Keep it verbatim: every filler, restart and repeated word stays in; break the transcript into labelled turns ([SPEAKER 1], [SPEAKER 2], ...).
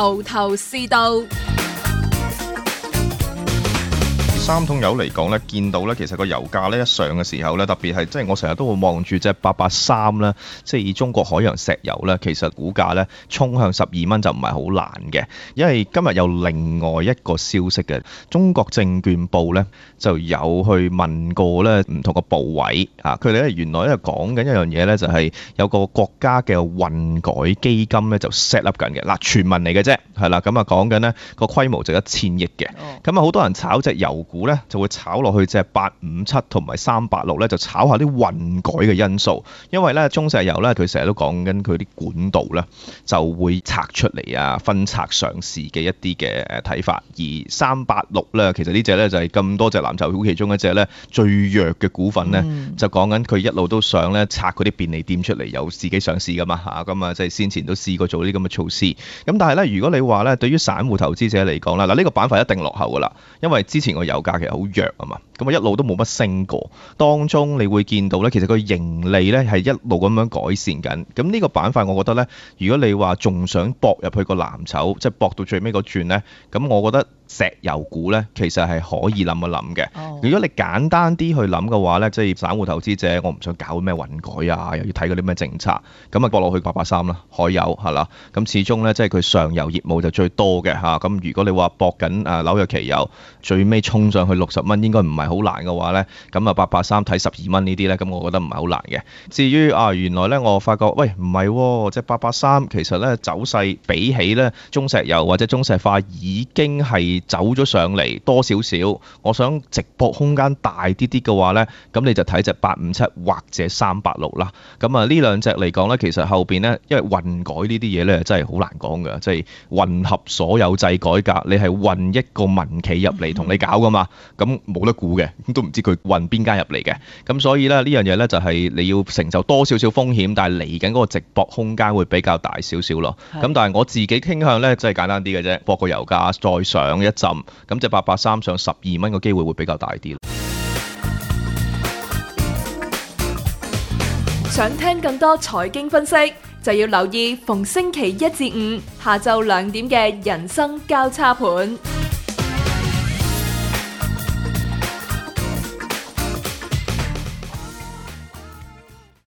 [SPEAKER 1] 頭頭是道。
[SPEAKER 2] 三桶油嚟講咧，見到咧，其實個油價咧一上嘅時候咧，特別係即係我成日都會望住隻八八三啦，即係以中國海洋石油咧，其實股價咧衝向十二蚊就唔係好難嘅，因為今日有另外一個消息嘅，中國證券報咧就有去問過咧唔同個部委啊，佢哋咧原來咧講緊一樣嘢咧，就係有個國家嘅混改基金咧就 set up 緊嘅，嗱傳聞嚟嘅啫，係啦，咁啊講緊咧個規模就一千億嘅，咁啊好多人炒隻油股咧就會炒落去隻八五七同埋三八六咧，就炒下啲混改嘅因素，因為咧中石油咧佢成日都講緊佢啲管道咧就會拆出嚟啊，分拆上市嘅一啲嘅誒睇法，而三八六咧其實呢隻咧就係咁多隻藍籌股其中一隻咧最弱嘅股份咧，嗯、就講緊佢一路都想咧拆嗰啲便利店出嚟，有自己上市噶嘛嚇，咁啊即係先前都試過做呢啲咁嘅措施，咁但係咧如果你話咧對於散戶投資者嚟講啦，嗱呢個板塊一定落後噶啦，因為之前個油價其實好弱啊嘛，咁啊一路都冇乜升過，當中你會見到咧，其實個盈利咧係一路咁樣改善緊。咁呢個板塊我覺得咧，如果你話仲想搏入去個藍籌，即係搏到最尾嗰轉咧，咁我覺得石油股咧其實係可以諗一諗嘅。Oh. 如果你簡單啲去諗嘅話咧，即係散戶投資者，我唔想搞咩混改啊，又要睇嗰啲咩政策，咁啊搏落去八八三啦，海油係啦，咁始終咧即係佢上游業務就最多嘅嚇。咁如果你話搏緊誒紐約期油最尾衝上去六十蚊，應該唔係好難嘅話咧，咁啊八八三睇十二蚊呢啲咧，咁我覺得唔係好難嘅。至於啊原來咧我發覺喂唔係喎，即係八八三其實咧走勢比起咧中石油或者中石化已經係走咗上嚟多少少，我想直播空間大啲啲嘅話咧，咁你就睇隻八五七或者三八六啦。咁啊呢兩隻嚟講咧，其實後邊咧因為混改呢啲嘢咧真係好難講㗎，即係混合所有制改革，你係混一個民企入嚟同你搞噶嘛，咁冇得估嘅，都唔知佢混邊間入嚟嘅，咁所以咧呢樣嘢咧就係你要承受多少少風險，但係嚟緊嗰個直播空間會比較大少少咯。咁但係我自己傾向咧，真係簡單啲嘅啫，博個油價再上一陣，咁隻八八三上十二蚊嘅機會會比較大啲。
[SPEAKER 1] 想聽更多財經分析，就要留意逢星期一至五下晝兩點嘅人生交叉盤。